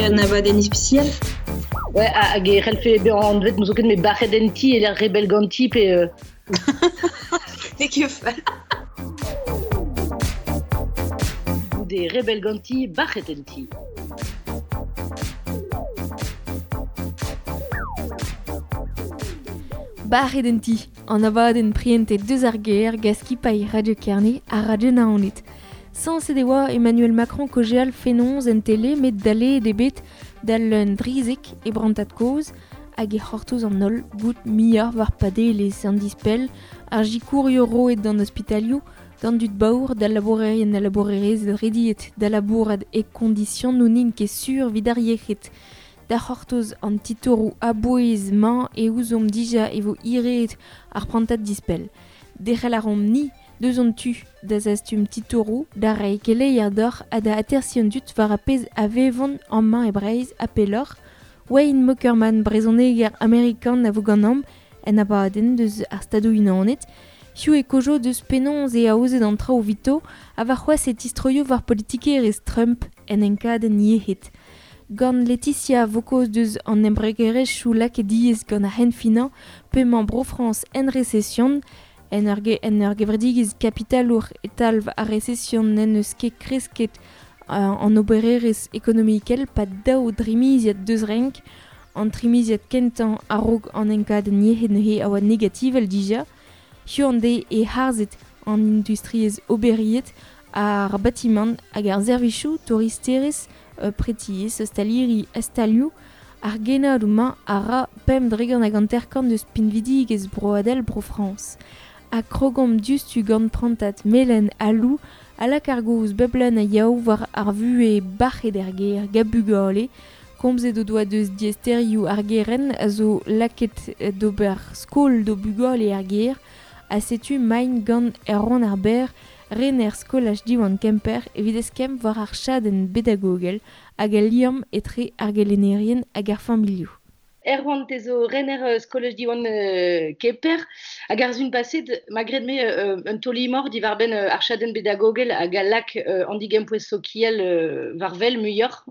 un abadenn ispisial. Ouais, hag e c'hellfe bezañ anvet n'ouzon ket met bac'het en ti e lec'h rebell ganti pe N'eo ket fall. Goude rebell ganti, bac'het en ti. Bac'het en ti, an abadenn prientet deus ar gêr gant skipailh Radio Kerne ha Radio Naoned. Sañset e oa Emmanuel Macron kaozeal fenoz en tele met daleet eo bet d'al un drizek e brantad kozh hag e c'hortoz an holl bout muioc'h war padelezh an dispell, ar sikourioù roet d'an ospitalioù, d'an dud baour, d'al labourerien ha labourerezed rediet da labourat e kondisionoù n'int ket sur evit ar yec'hed. Da c'hortoz an titouroù a-bouez-mañ e ouzomp dija e vo hiraet ar prantad dispell. Derc'hel a raomp-ni deus hon tu da zastum titouroù, da reiñ keleier deoc'h ha da atersiñ an dud war ar pezh a vevont amañ e Breizh ha pelloc'h. Wayne Mockerman, brezhoneger amerikan a vo ganeomp en abadenn deus ar Stadoù-Unanet. Hiziv e kojo deus penaos eo aozet an traoù evito ha warc'hoazh e tistroio war politikerezh Trump en enkadenn yec'hed. Gant Laetitia vo kaoz deus an embregerezhioù lakaet diaes gant ar c'henfinañ p'emañ Bro-Frañs en resesion. En ur, en ur gevredigezh kapitalour e talv ar resesion n'en deus ket kresket an obererezh ekonomikel pad daou drimiziad deus renk. An trimiziad kentañ a-raok an enkadenn yec'hed neuze a oa negativel dija. Hiziv an deiz e harzet an industriezh oberiet, ar batimant hag ar servijoù touristerezh, pretiez, ostaliri ha stalioù. Ar gennadoù-mañ a ra 5% eus pinvidigezh broadel Bro-Frañs. Ha krogomp diouzhtu gant prantad melen ha lou a lak ar gaoz bep leun a yaou war ar vuhez bac'het er gêr gant bugale. Komzet o doa deus diaesterioù ar gerent a zo lakaet d'ober skol d'o bugale er gêr ha setu maint gant Erwan ar Berr, rener skolaj Diwan Kemper evit eskemm war ar chadenn bedagogel hag al liamm etre ar gelennerien hag ar familhoù. Erwan, te zo rener skolaj Diwan Kemper hag ar sun paset ma graet-me un taol-imor diwar-benn ar chadenn bedagogel hag a lak an digempouez sokial war wel muioc'h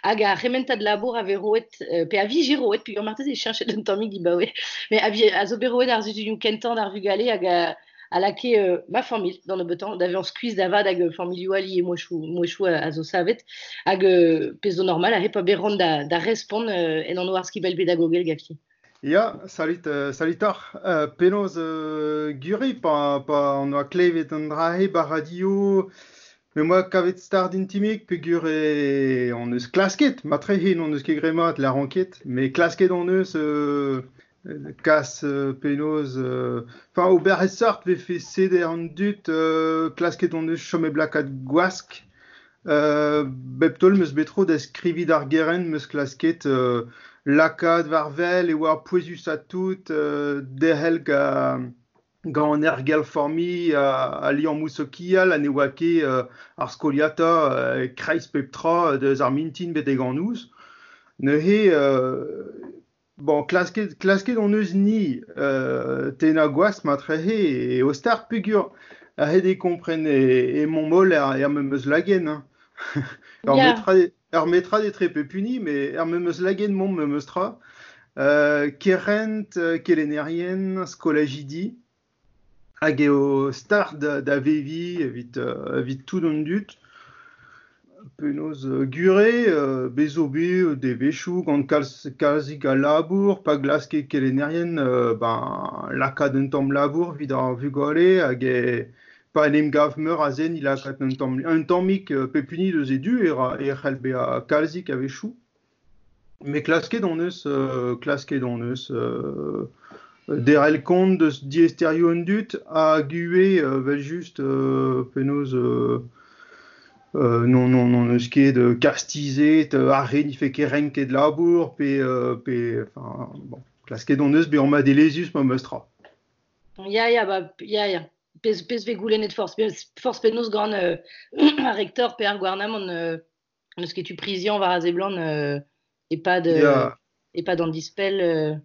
hag ar c'hementad labour a vez roet pe a vije roet peogwir marteze e cheñchet un tammig dibaoe met a zo bet roet ar sizhunioù kentañ d'ar vugale hag a lakae ma familh d'an nebeutañ da vezañ skuizh da vat hag familhoù all ivez mouezhioù a zo savet hag pezh zo normal aze pa bet ran da respont en anv ar skibell pedagogel ganti. Ya, salut, salut oc'h. Penaos gure pa on oa klevet an dra-se ba radio, me 'moa kavet start intimik peogwir hon eus klasket, matrehe n'hon eus ket graet mat, lâran ket, met klasket hon eus Kas penaos enfin ober e sort 'vefe seder an dud klasket hon eus chom hep lakaat gwask. Bep taol 'm eus bet tro da skriviñ d'ar gerent 'm eus klasket lakaat war-wel e oa pouezusañ tout derc'hel gant an aergelc'h-familh ha liammoù sokial ha ne oa ket ar skoliata e-kreiz pep tra deus ar mintin betek an noz. Neuze Bon, klasket hon eus-ni tennañ gwask matrehe eo start peogwir aet eo kompren emaomp holl er memes lagenn hein. Ur metrad ur metrad etre pep hini met er memes lagenn 'momp memes tra. Kerent, kelennerien, skolajidi Hag eo start da veviñ evit tout an dud. Penaos gure, bez zo bet devezhioù gant kalz kalzik a labour pa glaske kelennerien ben lakaat un tamm labour evit ar vugale hag pa en em gav meur a zen e lakaat un tamm un tammig pep hini deus e du e ra e c'hell bezañ kalzik a-wechoù. Met klasket hon eus derc'hel kont deus diaesterioù an dud hag ivez evel-just penaos n'hon eus ket kastizet ar re ne fait ket renket labour pe pe enfin bon klasket hon eus bezañ madelezhus memes tra. Ya, ya, ba, ya, ya. Pezh vez goulennet forzh penaos gant ar rektor pe ar gouarnamant N'eus ket tu priziañ war a seblant e-pad e-pad an dispell.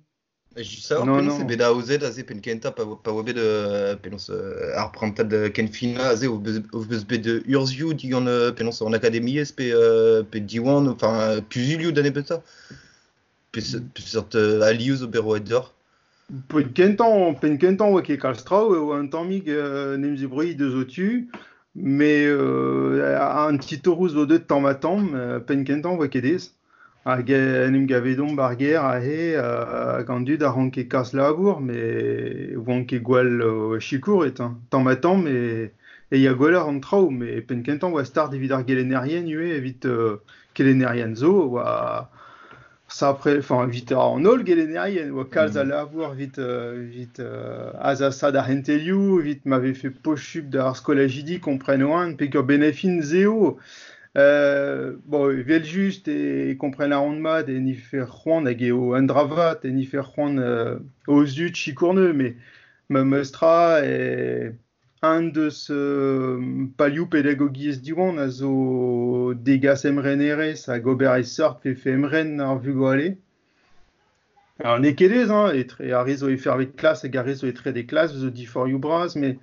Just savoir penaos eo bet aozet aze penn-kentañ pa oa bet penaos ar prantad kenfinañ aze o beus bet urzhioù digant penaos an akademiezh pe Diwan, enfin kuzulioù da nebeutañ. Peseurt alioù zo bet roet deoc'h? Penn-kentañ oa ket kalz traoù, e oa un tammig en em zebrouilh deus o tu, met an titouroù zo deuet tamm-ha-tamm, penn-kentañ oa ket aes. Hag en em gavedomp ar gêr aze hag an dud a ranke kas labour, met 'oant ket gwall sikouret hein. Tamm-ha-tamm e ya gwelloc'h an traoù, met penn-kentañ 'oa start evit ar gelennerien ivez, evit kelennerien zo 'oa sapre, enfin evit an holl gelennerien 'oa kalz a labour evit azasaat ar c'hentelioù, evit ma vefe posupl d'ar skolajidi kompren 'oant peger benefin 'z eo. Bon, evel-just e kompren a ran mat e nife c'hoant hag eo un dra vat e nife c'hoant o zud sikour 'neu, met memes tra e un deus palioù pedagogiezh Diwan a zo degas emrenerezh hag ober e seurt vefe emren ar vugale. Alors n'eo ket aes hein, etre ar re zo e fervet klas hag ar re zo e trede klas zo diforc'hioù bras, met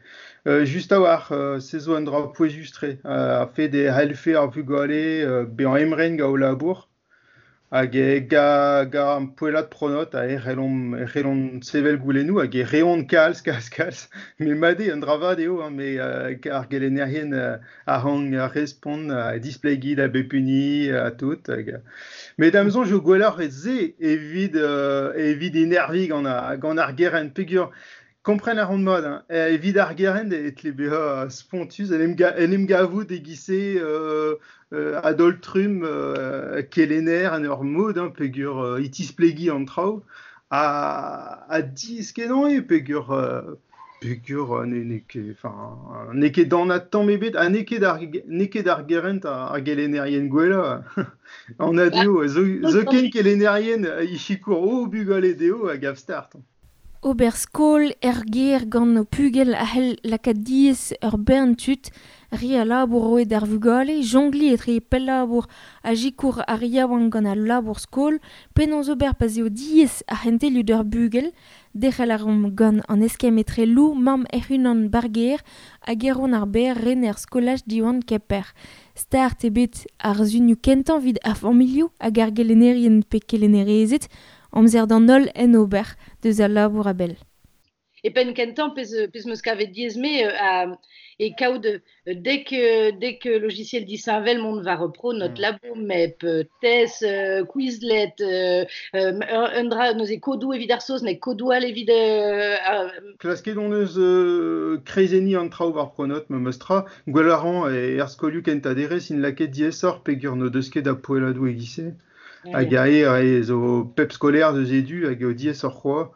just a-walc'h se zo un dra pouezus-tre. Ar fed e c'hellfe ar vugale bezañ emren gant o labour hag gant ar poellad Pronote e c'hellont sevel goulennoù hag e reont kalz, kalz, kalz. Met mat eo, un dra vat eo, hein, met ar gelennerien a rank respont, displegiñ da bep hini ha tout. Hag, met da'm soñj eo gwelloc'h se evit enerviñ gant ar gerent peogwir kompren a ran mat, hein, evit ar gerent e tle bezañ spontus en em gavout e-giz-se a-daol-trumm kelenner en ur mod, hein, peogwir e tisplegiñ an traoù ha diaes-kenañ eo peogwir peogwir n'eo ket, enfin, n'eo ket anat tamm ebet ha n'eo ket ar n'eo ket ar gerent ar gelennerien gwellañ. Anat eo, zoken kelennerien e sikour o bugale dezho a gav start. Ober skol er gêr gant ho pugel a c'hell lakaat diaes ur bern tud, re a labour roet d'ar vugale, jongliñ etre pellabour ha sikour ar yaouank gant al labour skol, penaos ober pa'z eo diaes ar c'hentelioù d'ur bugel, derc'hel a reomp gant an eskemm etre Lou, mamm hec'h-unan ba'r gêr, hag Erwan ar Berr, rener skolaj Diwan Kemper. Start eo bet ar sunioù kentañ evit ar familhoù hag ar gelennerien pe kelennerezed, amzer d'an holl en ober deus al labour a-bell. E penn kentañ pezh 'meus kavet diaes-me e kaout dek logiciel disheñvel mont war Pronote, Labomep, TES, Quizlet, un dra neuze kodoù evit ar saozneg, kodoù all evit... Klasket hon eus kreizenniñ an traoù war Pronote memes tra. Gwell a ran er skolioù kentañ derez int lakaet diaesoc'h peogwir n'o deus ket a poelladoù e-giz-se. Hag aze zo pep skolaer deus e du hag eo diaesoc'h c'hoazh.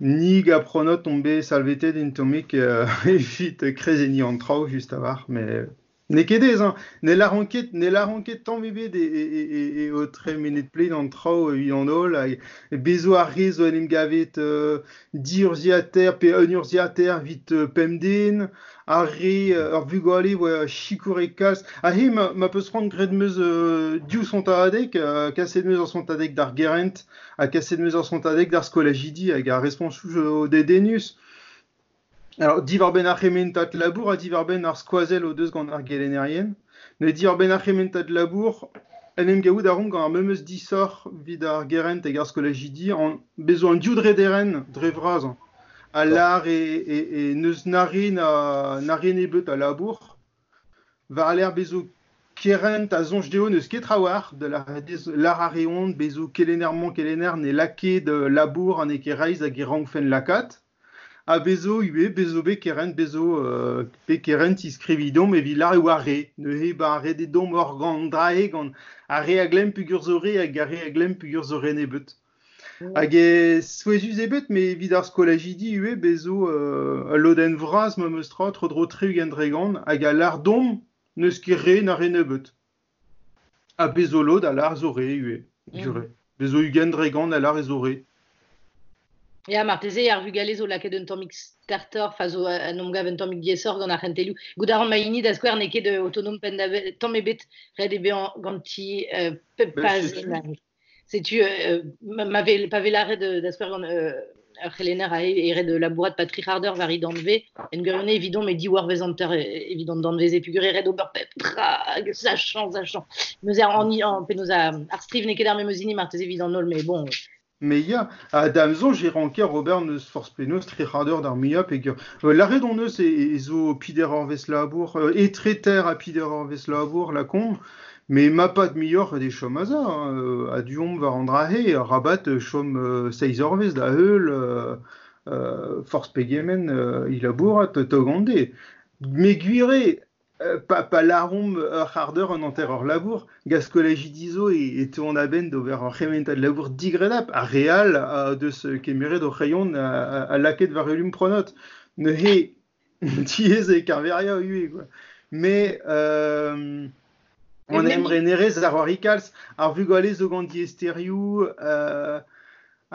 Ni gant Pronote omp bet salvetet un tammig evit kreizenniñ an traoù just a-walc'h, met n'eo ket aes hein. Ne lâran ket, ne lâran ket tamm ebet eo tremenet plaen an traoù evit an holl hag bez zo ar re zo en em gavet diurzhiataer pe un urzhiataer evit pemp den, ar re ur vugale oa sikouret kalz. Aze ma peus c'hoant graet 'meus div sontadeg, kaset 'meus ur sontadeg d'ar gerent ha kaset 'meus ur sontadeg d'ar skolajidi hag ar responsoù zo dedennus. Alors, diwar-benn ar c'hementad labour ha diwar-benn ar skoazell o deus gant ar gelennerien. Met diwar-benn ar c'hementad labour, en em gavout a reomp gant ar memes disoc'h evit ar gerent hag ar skolajidi, bez zo an div drederenn dre vras. A lâr e n'eus na re na re nebeut a labour. War-lerc'h bez zo kerent a soñj dezho n'eus ket trawalc'h da lâr a reont bez zo kelenner-mañ kelenner ne lak ket labour ha n'eo ket reizh hag e rankfent lakaat. Ha bez zo ivez, bez zo bet kerent, bez zo bet kerent iskriviñ deomp evit lâr e oa re. Neuze ba ret eo deomp ur gant drae gant ar re a glemm peogwir zo re hag ar re a glemm peogwir zo re nebeut. Hag e souezhus eo bet, met evit ar skolajidi ivez, bez zo ul lodenn vras memes tra, tro-dro 60% hag a lâr deomp n'eus ket re na re nebeut. Ha bez zo lod a lâr zo re ivez, jure. Bez zo 20% a lâr e zo re. Ya, marteze ar vugale zo lakaet un tammig startoc'h, enfin zo en em gav un tammig diaesoc'h gant ar c'hentelioù. Goût a ran ma hini da skouer n'eo ket autonom penn-da-benn, tamm ebet, ret eo bezañ ganti pep pazenn. Setu ma ve pa vez lâret da skouer gant ur c'helenner a eo ret labourat pa tri c'hard eur war he danvez, en gwirionez evidon met div eurvezh hanter evit an danvez-se peogwir eo ret ober pep tra hag sachañ, sachañ. Neuze an an penaos ar striv n'eo ket ar memes hini marteze evit an holl met bon. Mais ya, ha da'm soñj e ranker ober n'eus forzh penaos tri c'hard eur d'ar muiañ peogwir lâret hon eus e zo peder eurvezh labour, etre ter ha peder eurvezh labour lakaomp, met ma pad muioc'h eo chom aze, hein, a-du omp war an dra-se, arabat chom seizh eurvezh da heul forzh pegement e labourat tog an deiz. Met gwir eo, pa, pa lâromp ur c'hard-eur un hanter-eur labour, gant skolajidi zo e teuont a-benn d'ober ur c'hementad labour digredapl. Ar re all o deus kemeret o c'hreion ha lakaet war elum pronot. Neuze, diaes eo keñveriañ ivez, quoi. Mais an emrenerezh a c'hoari kalz. Ar vugale zo gant diaesterioù,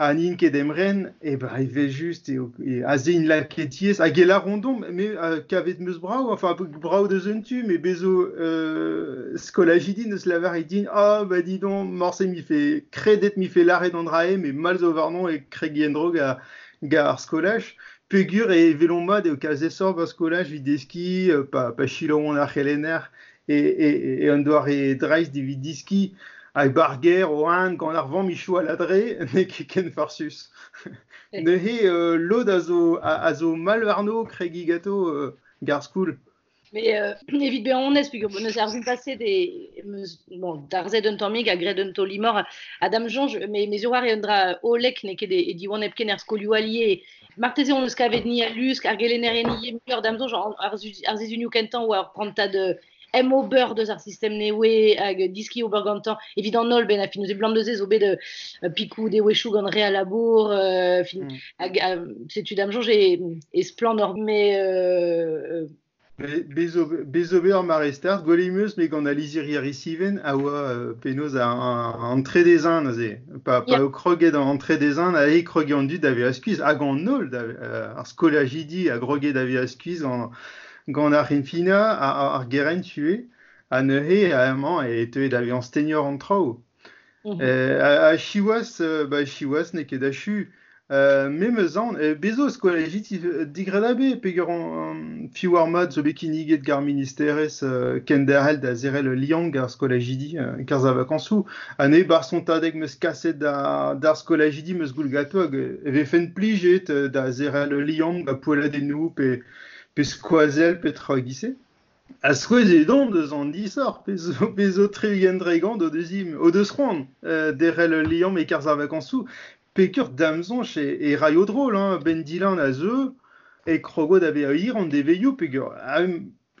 Ha n'int ket emren, eh ben evel-just eo aze int lakaet diaes. Hag e lâront deomp, me kavet 'm eus brav, enfin brav deus un tu, met bez zo skolajidi 'neus lavaret din ah bah dis donc, morse 'mife kredet 'mife lâret an dra-se, met mall zo warnon e kregiñ en-dro ga ga ar skolaj. Peogwir e welomp mat eo kalz aesoc'h 'ba skolaj evit deskiñ, pa selaouont ar c'helenner e un doare dreist evit deskiñ. Hag 'ba ar gêr oan gant ar vamm ichou aladre, n'eo ket ken farsus. Neuze lod a zo, a zo mall warno kregiñ ganto gar skoul. Mais evit bezañ onest, peogwir neuze ar paset e meus bon, darzhet un tammig ha graet un taol-imor ha da'm soñj, me zo war un dra hollek, n'eo ket e Diwan hepken er skolioù allié. Marteze hon eus kavet ni al lusk, ar gelennerien ivez muioc'h da'm soñj, ar sizhunioù kentañ oa ur prantad em-ober deus ar sistem newe hag diski ober gantañ evit an holl benn a fin neuze blam deus zo bet pikoù devezhioù gant re a labour fin hag setu da'm soñj e splann hor me Bez zo bet ur mare start, gwelet em eus me gant al lizhiri Risiven a oa penaos an trede-zin neuze. Pa, pa eo kroget an trede-zin, aze e kroge an dud da vezañ skuizh hag an holl, ar skolajidi a groge da vezañ skuizh gant Gant ar c'henfinañ, ar gerent ivez, ha neuze amañ e teue da vezañ stegnioc'h an traoù. Ha siwazh, ba siwazh n'eo ket achu. Me 'm eus aon, bez zo skolajidi digredabl peogwir piv ar mat zo bet kinniget gant ar ministerezh kenderc'hel da zerc'hel ul liamm gant ar skolajidi e-kerzh ar vakañsoù. Ha neuze 'barzh sontadeg 'm eus kaset d'ar skolajidi 'm eus goût ganto hag e vefen plijet da zerc'hel ul liamm gant poelladennoù pe Pe skoazell petra e-giz-se. Ha souezhet on deus an disoc'h, pezh zo 60 dregont o deus c'hoant derc'hel ul liamm e-kerzh ar vakañsoù. Peogwir da'm soñj e raio drol hein, 'benn Dylan a zeu e krogo da vezañ hir an devezhioù peogwir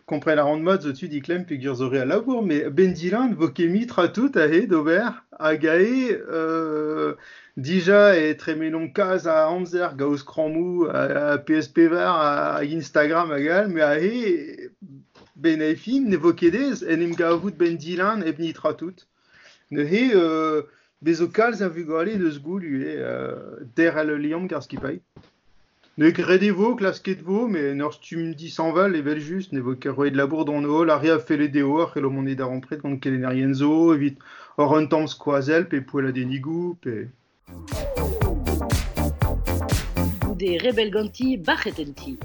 kompren a ran mat zo tu diklemm peogwir zo re a labour, met 'benn Dylan 'vo ket mui tra tout aze d'ober hag aze Dija e tremenomp kalz a amzer gant skrammoù PS4 hag Instagram hag all, met aze, benn ar fin, ne vo ket aes en em gavout benn Dylan hep netra tout. Neuze, bez zo kalz a vugale deus goût ivez derc'hel ul liamm gant ar skipailh. Ne graet e vo, klasket vo, met en ur stumm dishañval evel-just. Ne vo ket roet labour d'an holl. Ar re a felle dezho a c'hello mont e darempred gant kelennerien zo evit hor un tamm skoazell pe poelladennigoù pe... Goude rebell ganti, bac'het en ti.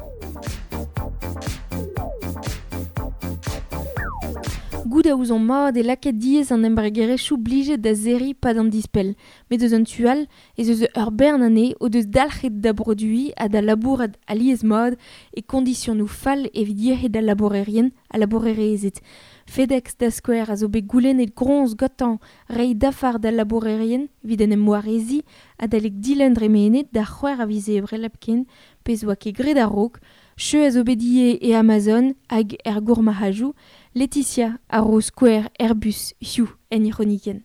Goût a ouzomp mat e lakaet diaes an embregerezhioù blijet da serriñ 'pad an dispell. Met eus an tu all ez eus ur bern anezhe o deus dalc'het da broduiñ ha da labourat alies-mat e koñdisionoù fall evit yec'hed al labourerien ha labourerezed. FedEx da skouer a zo bet goulennet groñs gantañ reiñ dafar d'al labourerien evit en em wareziñ adalek dilenn dremenet d'ar c'hwec'h a viz Ebrel hepken, pezh 'oa ket graet a-raok. Cheu a zo bet ivez e Amazon hag er gourmarc'hadoù. Laetitia a ro skouer Airbus hiziv en he c'hronikenn.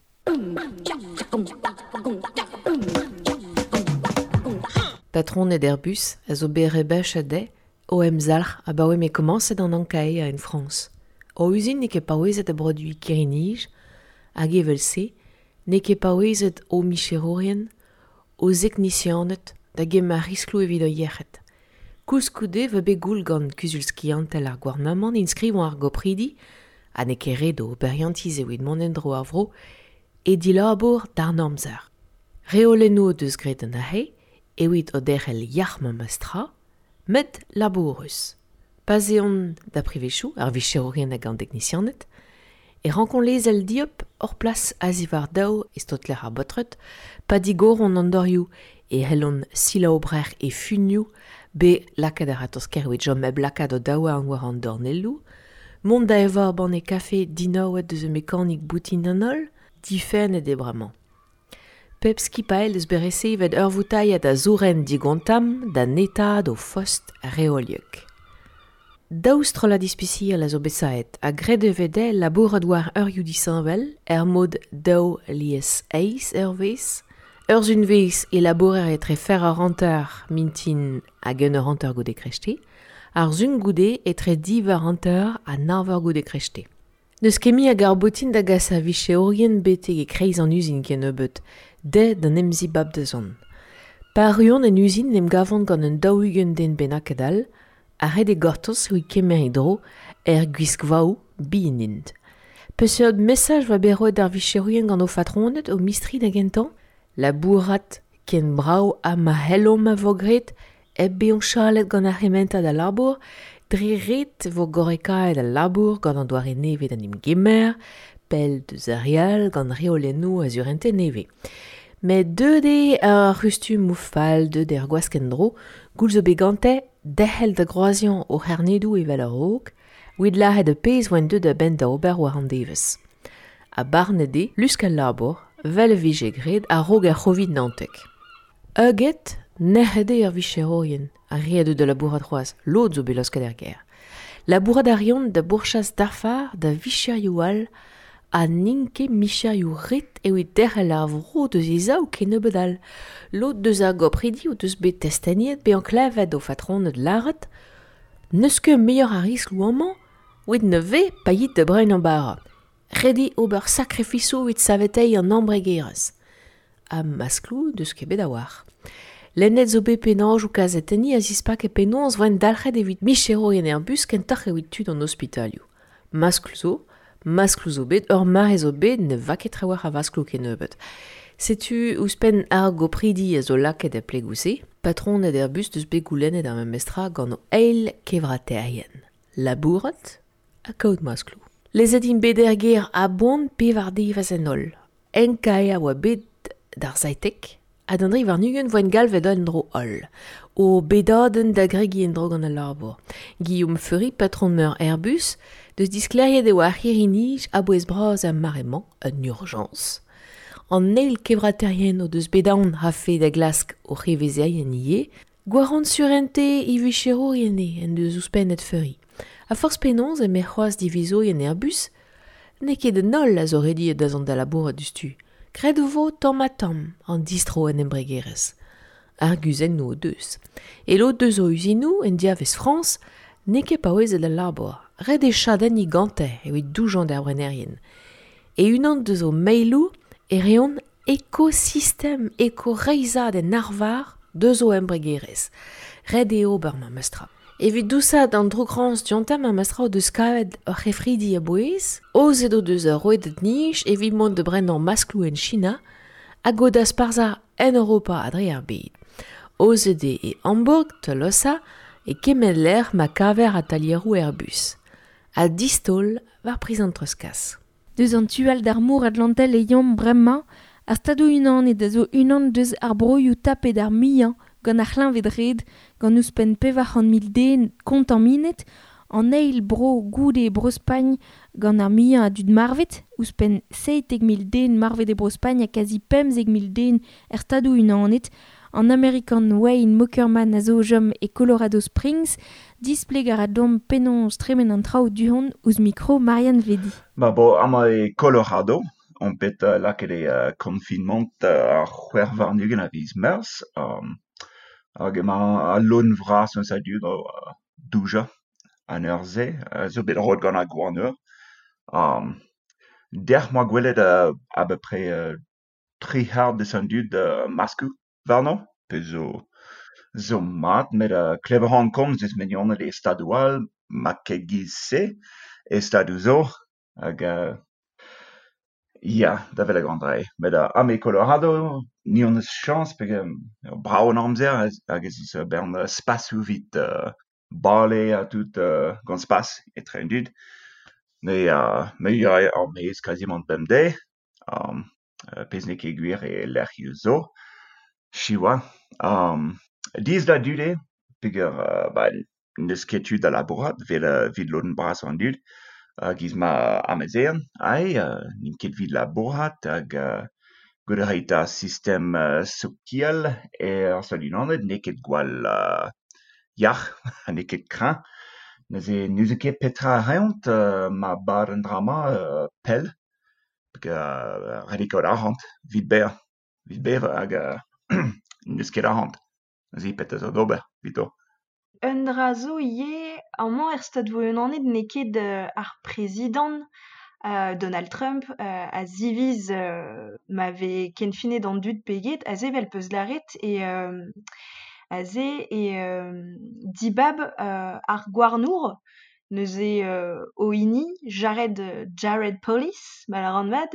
Patroned Airbus a zo bet rebechet dezhe o emzalc'h abaoe m'eo komañset an ankaeañ en Frañs. O uzin n'eo ket paouezet da broduiñ kirri-nij hag evel-se n'eo ket paouezet o micherourien, o zeknisianed da gemer riskloù evit o yec'hed. Koulskoude e vo bet goul gant kuzul skiantel ar gouarnamant enskrivañ ar gopridi ha n'eo ket ret o oberiantiz evit mont en-dro ar vro e dilabour d'ar amzer. Reolennoù deus graet an ahe, evit o derc'hel yac'h ma mestra, met labourus. Pa zeont da privechoù, ar vicherourien hag an deknisianed, e rankont lezel diop hor plas a-ziwar daou e stotler ar baotred, pa digoront an dorioù e c'hellont selaou-brec'h e funioù be lakaat ar ratozh-kaer evit chom hep lakaat o daouarn war an dornelloù, mont da evañ banne kafe dinaouet deus ur mekanik boutin d'an holl, difennet eo bremañ. Pep skipailh eus bet resevet ur voutailhad a zourenn digontamm da netaat o fost reoliek. Daou strollad ispisial a zo bet savet ha graet e vez dezhe labourat war eurioù disheñvel er mod daou lies eizh eurvezh. Ur sunvezh e labourer etre fer ur hanter mintin hag un eur hanter goude krechte, ar sun goude etre div eur hanter ha nav eur goude krechte. N'eus ket mui a garr-boutin da gas ar vicherourien betek e-kreiz an uzin kennebeut, dezhe d'an emzibab da zont. Pa erruont en uzin en em gavont gant un 40 den bennaket all, ha ret eo gortoz evit kemer e dro er gwiskvaoù bihan int. Peseurt mesaj 'oa bet roet d'ar vicherourien gant o fatroned, o mistri da gentañ? Labourat ken brav ha ma c'hellomp a vo graet, hep bezañ chalet gant ar c'hementad a labour, dre ret 'vo gorrekaet al labour gant an doare nevez d'en em gemer, pell deus ar re all gant reolennoù a surentez nevez. Met deuet eo ar c'hustumoù fall, deuet eo ar gwask en-dro, goul zo bet gante derc'hel da groaziañ o c'harnedoù evel a-raok, evit lâret ar pezh 'oant deuet a-benn da ober war an devezh. Ha barnet eo lusk al labour, 'vel e vije graet a-raok ar c'hovid 19. Heuget, nec'het eo ar vicherourien, ar re a deu da labourat c'hoazh, lod zo bet laosket er gêr. Labourat a reont da bourchas dafar da vicherioù all ha n'int ket micherioù ret evit derc'hel ar vro deus he sav kennebeut all. Lod deus ar gopridi o deus bet testeniet bezañ klevet o fatroned lâret n'eus ket muioc'h a riskloù amañ evit na vez pa yit da brenañ bara. Ret eo ober sakrifisoù evit saveteiñ an embregerezh. Ha maskloù n'eus ket bet a-walc'h. Lennet zo bet penaos o kazetenniñ a zispake penaos 'voent dalc'het evit micherourien Airbus kentoc'h evit tud an ospitalioù. Maskloù zo, maskloù zo bet, ur mare zo bet ne va ket trawalc'h a vaskloù kennebeut. Setu ouzhpenn ar gopridi a zo lakaet er plegoù-se, patroned Airbus deus bet goulennet ar memes tra gant o eil kevrataerien. Labourat ha kaout maskloù. Lezet int bet er gêr a-boan pevar devezh en holl. Enkae a oa bet d'ar seitek ha d'an dri warn-ugent 'voent galvet en-dro holl. O bedadenn da gregiñ en-dro gant al labour. Guillaume Feury, patron meur Airbus, deus disklêriet e oa ar c'hirri-nij a-bouez-bras er mare-mañ, un urjañs. An eil kevrataerien o deus bet aon 'rafe da glask o c'hevezerien ivez, gwarant surentez e vicherourien eo en deus ouzhpennet Feury. Ha forzh penaos eme c'hoazh divizourien Airbus, n'eo ket an holl a zo rediet da zont da labourat diouzhtu. Graet e vo tamm-ha-tamm an distro en embregerezh. Arguzennoù o deus. E lod deus o uzinoù en diavez Frañs n'eo ket paouezet al labour. Ret eo chadenniñ gante evit doujañ d'ar brenerien. E-unan deus o mailoù e reont ekosistem ekoreizhad en arvar deus o embregerezh. Ret eo ober memes tra. Evit dousaat an droukrañs diontañ memes tra o deus kavet ur c'hefridi a-bouez, aozet o deus ur rouedad-nij evit mont da brenañ maskloù en China hag o dasparzhañ en Europa ha dre ar bed. Aozet eo e Hamburg, Tolosa, e kement lec'h ma kaver atalieroù Airbus. Ha distaol war priz an treuzkas. Deus an tu all d'ar mor Atlantel e yomp bremañ, ar Stadoù-Unanet a zo unan deus ar broioù tapet ar muiañ gant ar c'hleñved-red, gant ouzhpenn 400,000 den kontaminet, an eil bro goude Bro-Spagn gant ar muiañ a dud marvet, ouzhpenn 17,000 den marvet e Bro-Spagn ha kazi 15,000 den er Stadoù-Unanet. An Amerikan Wayne Mockerman a zo o chom e Colorado Springs, displeg a ra deomp penaos tremen an traoù du-hont ouzh mikro Marianne Vedi. Ma bo amañ e Colorado on bet lakaet e confinement ar 26 a viz Meurzh hag emañ al lodenn vras eus a dud o doujañ an eur-se zo bet roet gant ar gouarnour. Dec'h 'moa gwelet a-peu-près tri c'hard eus an dud maskoù warno, pezh zo mat met klevet a ran komz eus mignoned e stadoù all ma ket giz-se e stadoù zo hag Ya, da welet an dra-se. Met ha me Colorado, ni hon eus chañs peogwir eo brav an amzer hag ez eus ur bern spasoù evit bale ha tout gant spas etre an dud. Me me ya er-maez kazimant bemdez, pezh n'eo ket gwir e lec'hioù zo, siwazh. Diaes da dud eo peogwir ba n'eus ket tu da labourat 'vel evit lodenn brasañ an dud. Giz ma amezeien aze n'int ket evit labourat hag goude ret ar sistem sokial er Stadoù-Unanet n'eo ket gwall yac'h ha n'eo ket kreñv. Neuze n'ouzon ket petra a reont ma bad an dra-mañ pell peogwir ret eo kaout arc'hant evit bevañ, evit bevañ hag n'eus ket arc'hant. Neuze petra zo d'ober evito. Un dra zo ivez, amañ er Stadoù-Unanet n'eo ket ar prezidant Donald Trump a ziviz ma vez kenfinet an dud pe get, aze evel 'peus lâret e aze e dibab ar gouarnour neuze o hini Jared Jared Polis ma lâran mat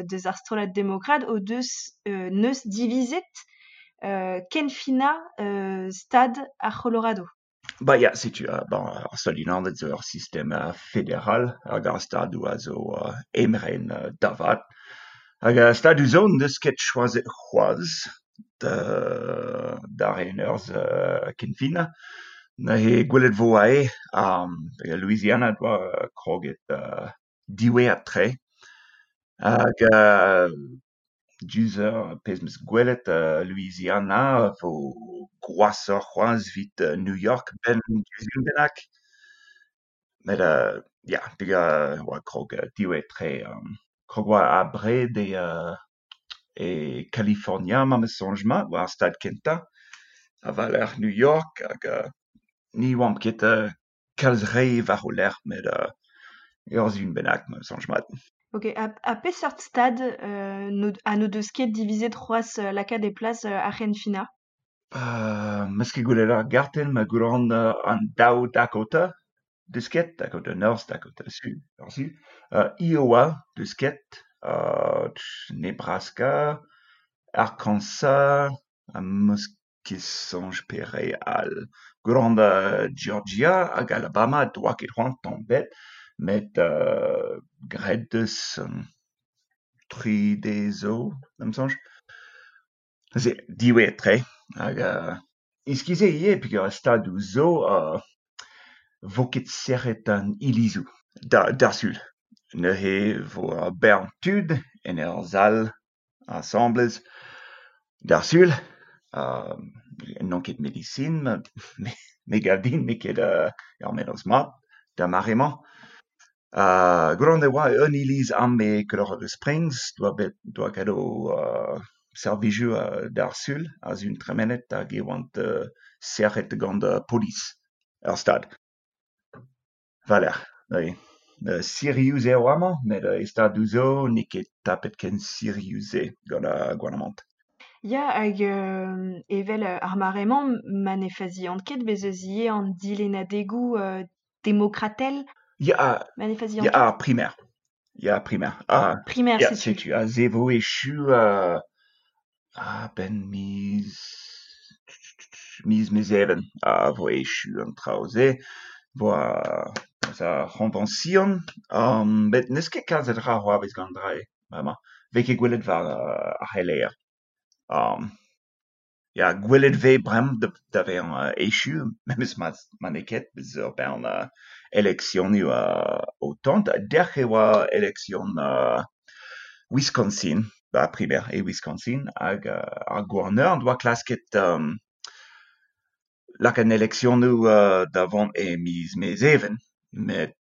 deus ar strollad demokrat o deus neus divizet kenfinañ stad ar C'holorado. Ba ya, setu bon, ar Stadoù-Unanet zo ur sistem federal hag ar stadoù a zo emren da vat. Hag ar stadoù zo n'eus ket choazet c'hoazh da reiñ urzh kenfinañ. Neuze gwelet 'vo aze Louisiana 'doa kroget diwezhat-tre. Hag diouzh ar pezh 'm eus gwelet Louisiana 'vo gwashoc'h c'hoazh evit New York 'benn dizun bennak. Met ya, peogwir oa krog diwezhat-tre. Krog oa abred e California ma 'm eus soñj mat war ar stad kentañ ha war-lerc'h New York hag ni 'oamp ket kalz re war o lerc'h met ur sizhun bennak ma 'm eus soñj mat. Ok, ha peseurt stad ha n'o deus ket divizet c'hoazh lakaat e plas ar c'henfinañ? 'm eus ket gwelet ar gartenn ma goulenn an daou Dakota deus ket, Dakota Norzh, Dakota Su, ar Su. Iowa deus ket, Nebraska, Arkansas, ha 'm eus ket soñj pere all. Goulenn Georgia hag Alabama 'doa ket c'hoant tamm ebet, met graet deus tri deiz zo, da'm soñj. Neuze diwezhat-tre hag iskis eo ivez peogwir ar stadoù zo 'vo ket serret an ilizoù d'ar Sul. Neuze 'vo ur bern tud en ur sal asambles d'ar Sul. N'on ket medisin me 'gav din n'eo ket ur mennozh mat d'ar mare-mañ. Goulenn e oa un iliz amañ e Colorado Springs 'doa bet 'doa graet o servijoù d'ar Sul ar sizhun tremenet hag e oant serret gant polis ar stad. War-lerc'h, oui. Sirius eo amañ met e stadoù zo n'eo ket tapet ken sirius-se gant ar gouarnamant. Ya, hag evel ar mare-mañ ma ne fazian ket bez' eus ivez an dilennadegoù demokratel. Ya, ma ne fazian ya, ket. ar primer. Ya, primer. Ah, Primer, ya, setu. setu. Aze 'vo echu a-benn miz Mezheven a vo echu an traoù-se. 'Vo ar c'hoñvañsion met n'eus ket kalz a dra c'hoarvez gant an dra-se bremañ. 'Vez ket gwelet war ar c'heleier. Ya, gwelet 'vez bremañ da vezañ echu memes ma n'eo ket bez ur bern eleksionoù o tont. Dec'h e oa eleksion Wisconsin, ba primer e Wisconsin hag ar gouarner 'doa klasket lakaat an eleksionoù da vont e miz Mezheven met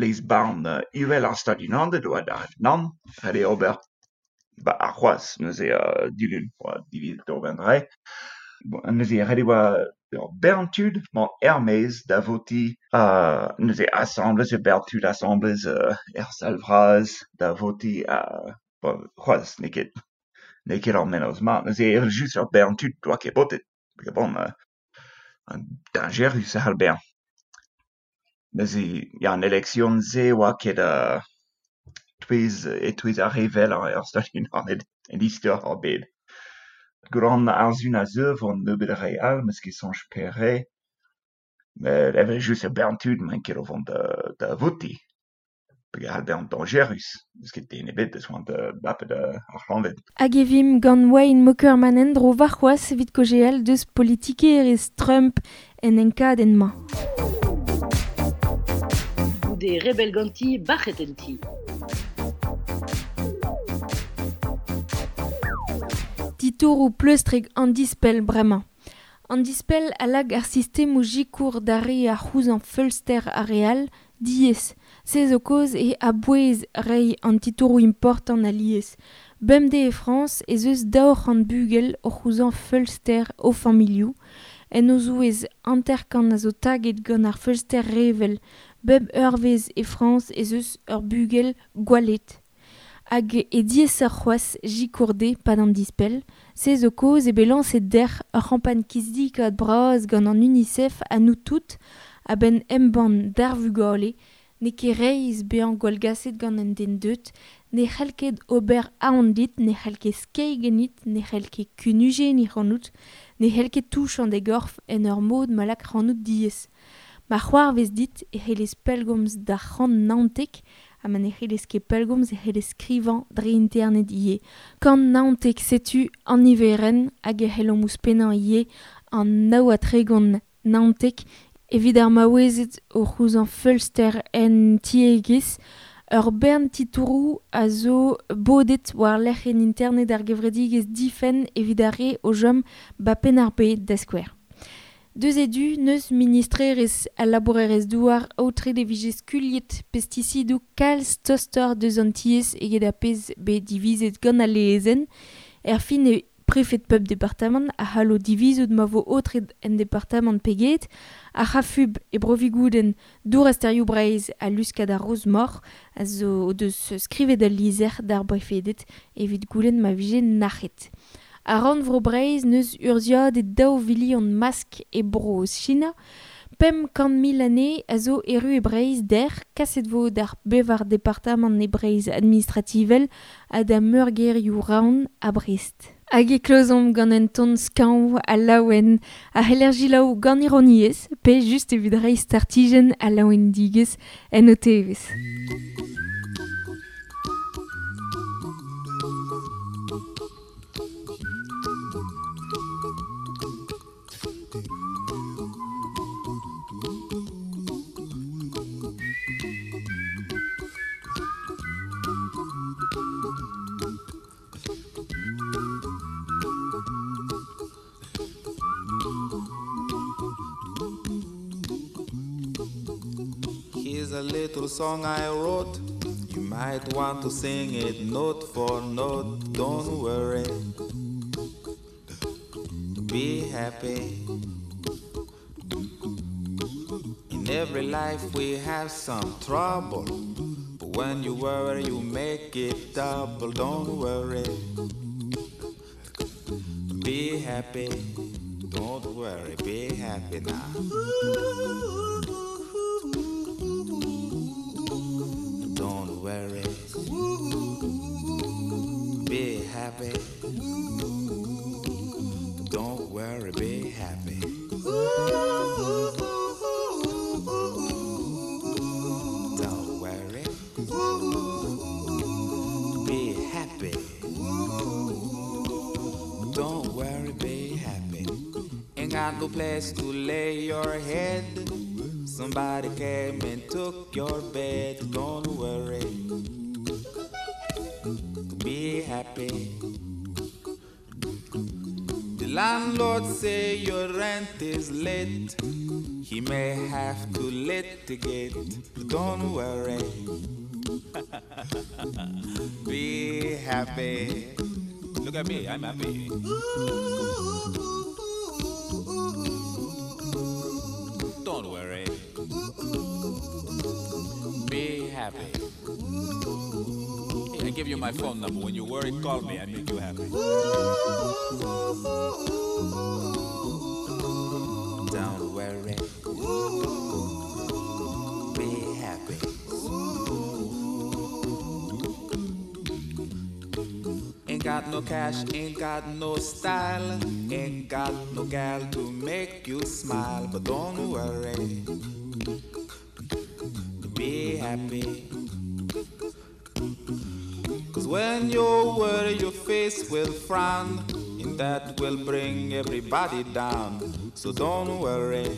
lez-varn uhel ar Stadoù-Unanet 'doa lâret nann, ret eo ober ba arc'hoazh neuze dilun 'oa divizet ober an dra-se. Neuze ret e oa ur bern tud mont er-maez da votiñ neuze asambles ur bern tud asambles er sal vras da votiñ bon c'hoazh n'eo ket ar mennozh mat. Neuze evel-just ur bern tud 'doa ket votet. Bon, dañjerus a c'hall bezañ. Neuze ya, an eleksion-se 'oa ket E-touez ar re wellañ er Stadoù-Unanet en istor ar bed. Gant ar Sun a zeu vo nebeut a re all, 'meus ket soñj pere. Met evel-just ur bern tud n'emaint ket o vont da votiñ. Peogwir c'hall bezañ dañjerus, n'eus ket den ebet deus c'hoant da bapet ar c'hleñved. Hag e vimp gant Wayne Mokerman en-dro warc'hoazh evit kaozeal deus politikerezh Trump en enkadenn-mañ. Goude rebell ganti, bac'het en ti. Titouroù pleustrek an dispell bremañ. An dispell a lak ar sistemoù sikour d'ar re a c'houzañv feulster ar re all diaes. Se zo kaoz e a-bouez reiñ an titouroù important alies. Bemdez e Frañs ez eus 200 bugel o c'houzañv feulster o familhoù. En o zouez 50 a zo taget gant ar feulster revel. Bep eurvezh e Frañs ez eus ur bugel gwallet. Hag e diaesoc'h c'hoazh sikour dezhe 'pad an dispell. Se zo kaoz eo bet lañset dec'h ur c'hampagn kizidikaat bras gant an UNICEF ha nous tout a-benn embann d'ar vugale n'eo ket reizh bezañ gwallgaset gant un den deuet, ne c'hell ket ober aon dit, ne c'hell ket skeiñ ganit, ne c'hell ket kunujenniñ ac'hanout, ne c'hell ket touchañ da gorf en ur mod ma lak ac'hanout diaes. Ma c'hoarvez dit e c'hellez pellgomz d'ar 119 ha ma ne c'hellez ket pellgomz e c'hellez skrivañ dre internet ivez. 119 setu an niverenn hag e c'hellomp ouzhpennañ ivez an 39 19 evit ar maouezed o c'houzañv feulster en tiegezh. Ur bern titouroù a zo bodet war-lerc'h en internet ar gevredigezh difenn evit ar re o chom ba Penn-ar-Bed da skouer. Deus e du n'eus ministrerezh al labourerezh-douar aotret e vije skuilhet pestisidoù kalz tostoc'h deus an tiez eget ar pezh bet divizet gant al lezenn. Erfin e prefed pep departamant a c'hallo divizout ma vo aotret en departamant pe get, ar c'hafub e Bro-Vigoudenn dour asterioù Breizh ha luskad ar Roz-Mor a zo o deus skrivet al lizher d'ar brefeded evit goulenn ma vije nac'het. Ar rannvro Breizh n'eus urzhiadet 2 vilion mask e Bro-Sina. 500 000 anezhe a zo erru e Breizh dec'h, kaset vo d'ar bevar departamant e Breizh administrativel ha da meurgêrioù Roazhon ha Brest. Hag e klozomp gant un ton skañv ha laouen a c'heller selaou gant ironiezh pe just evit reiñ startijenn ha laouendigezh en ho tevezh. Here's a little song I wrote. You might want to sing it note for note. Don't worry. Be happy. In every life we have some trouble. But when you worry, you make it double. Don't worry. Be happy. Don't worry. Be happy now. Don't worry. Be happy. Don't worry, be happy. Don't worry. Be happy. Don't worry, be happy. Ain't got no place to lay your head. Somebody came and took your bed. Don't worry. Be happy. The landlord say your rent is late. He may have to litigate. Don't worry. Be happy. Look at me, I'm happy. Don't worry. Be happy. Hey, I give you my phone number. When you worry, call me. I make you happy. Don't worry. Be happy. got no cash, ain't got no style, ain't got no gal to make you smile. But don't worry, be happy. Cause when you worry, your face will frown, and that will bring everybody down. So don't worry,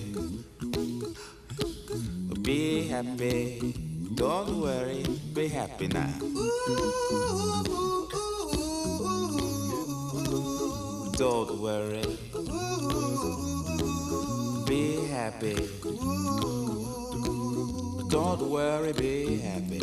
be happy. Don't worry, be happy now. Don't worry, be happy. Don't worry, be happy.